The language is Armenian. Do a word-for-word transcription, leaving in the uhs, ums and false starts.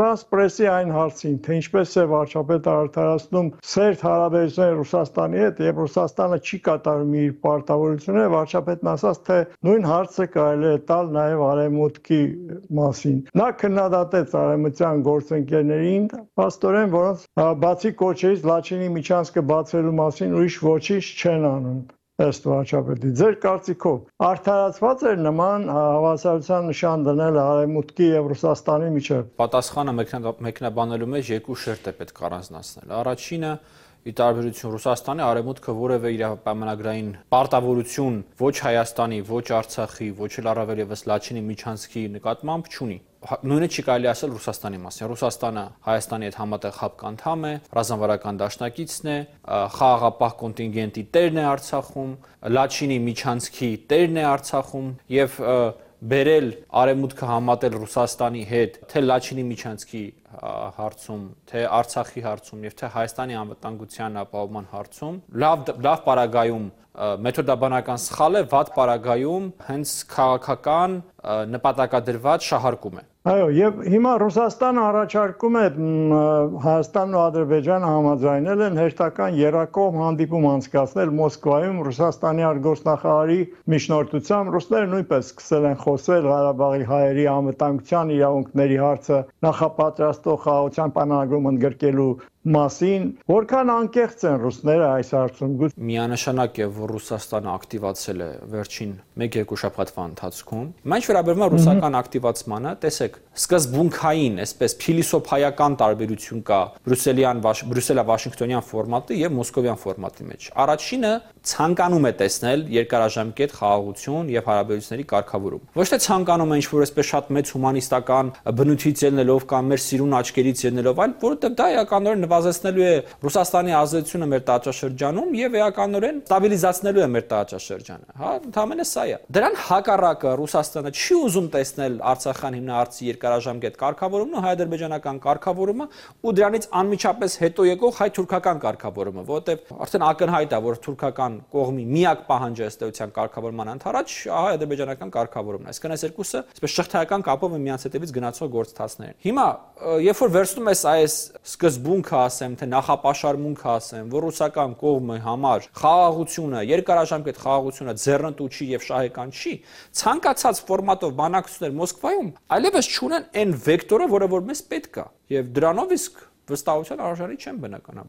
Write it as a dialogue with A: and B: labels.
A: Ֆրանս պրեսի այն հարցին, թե ինչպես է վարչապետը արդարացնում սերտ հարաբերությունները Ռուսաստանի հետ եւ Ռուսաստանը չի կատարում իր պարտավորությունները, վարչապետն ասաց, թե նույն հարցը կարելի է տալ նաեւ Արևմուտքի մասին։ Նա քննադատեց արևմտյան գործընկերներին, փաստորեն, որոնց բացի կոչերից Լաչինի միջանցքը բացելու մասին ուրիշ ոչինչ չեն անում։ Ըստ վարչապետի, ձեր կարծիքով արդարացված էր նման հավասարության նշան դնել Արևմուտքի եւ Ռուսաստանի միջեւ։
B: Պատասխանը մեկնաբանելու մեջ երկու շերտ է պետք առանձնացնել։ Առաջինը ի տարբերություն Ռուսաստանի, Արևմուտքը որևէ իր պայմանագրային պարտավորություն ոչ Հայաստանի, ոչ Արցախի, ոչ էլ առավել եւս Լաչինի միջանցքի նկատմամբ չունի։ Նույնը չի կարելի ասել Ռուսաստանի մասին։ Ռուսաստանը Հայաստանի հետ համատեղ ՀԱՊԿ անդամ է, ռազմավարական դաշնակիցն է, խաղաղապահ կոնտինգենտի տերն է Արցախում, Լաչինի միջանցքի տերն է Արցախում եւ բերել Արևմուտքը համատել Ռուսաստանի հետ թե Լաչինի միջանցքի հարցում, թե Արցախի հարցում եւ թե Հայաստանի անվտանգության ապահովման հարցում լավ լավ պարագայում մեթոդաբանական սխալ է, վատ պարագայում հենց քաղաքական նպատակադրված շահարկում է։
A: Այո, եւ հիմա Ռուսաստանը առաջարկում է Հայաստանն ու Ադրբեջանը համաձայնել են հերթական երակողմ հանդիպում անցկացնել Մոսկվայում Ռուսաստանի արտգործնախարարի միջնորդությամբ։ Ռուսները նույնպես սկսել են խոսել Ղարաբաղի հայերի անվտանգության իրավունքների հարցը նախապատրաստող խաղաղության պայմանագրում ընդգրկելու մասին, որքան անկեղծ են ռուսները այս հարցում։
B: Միանշանակ է, որ Ռուսաստանը ակտիվացել է վերջին մեկ-երկու շաբաթվա ընթացքում։ Ինչ վերաբերում է ռուսական ակտիվացմանը, տեսեք, սկզբունքային, այսպես փիլիսոփայական տարբերություն կա բրյուսելյան Բրյուսելա-Վաշինգտոնյան ֆորմատի եւ մոսկովյան ֆորմատի մեջ։ Առաջինը ցանկանում է տեսնել երկարաժամկետ խաղաղություն եւ հարաբերությունների կարգավորում։ Ոչ թե ցանկանում է ինչ-որ այսպես շատ մեծ հումանիստական բնույթից ելնելով կամ մեր սիրուն աչքերից ելնելով, այլ որովհետեւ դա էականորեն նվազեցնելու է Ռուսաստանի ազդեցությունը մեր տարածաշրջանում եւ էականորեն ստաբիլիզացնելու է մեր տարածաշրջանը։ Հա, ընդհանրապես սա է։ Դրան հակառակը Ռուսաստանը չի ուզում տեսնել Արցախյան հիմնահարցի երկարաժամկետ կարգավորումն ու հայ-ադրբեջանական կարգավորումը ու դրանից անմիջապես հետո եկող հայ-թուրքական կարգավորումը, որովհետեւ արդեն ակնհայտ է, որ թուրքական կողմի միակ պահանջը ըստ էության կարգավորման ընդառաջ հայ-ադրբեջանական կարգավորումն է։ Այսինքն այս երկուսը այսպես շղթայական կապով են միմյանց հետևից գնացող գործընթացներ։ Հիմա, երբ որ վերցնում ես այս սկզբունքը, ասեմ, թե նախապաշարմունքը, ասեմ, որ ռուսական կողմի համար խաղաղությունը, երկարաժամկետ խաղաղությունը ձեռնտու չի եւ շահեկան չի, ցանկացած ֆորմատով բանակցություններ Մոսկվայում այլևս չունեն այն վեկտորը, որը որ մեզ պետք է, եւ դրանով իսկ վստահության արժանի չեն բնականաբար։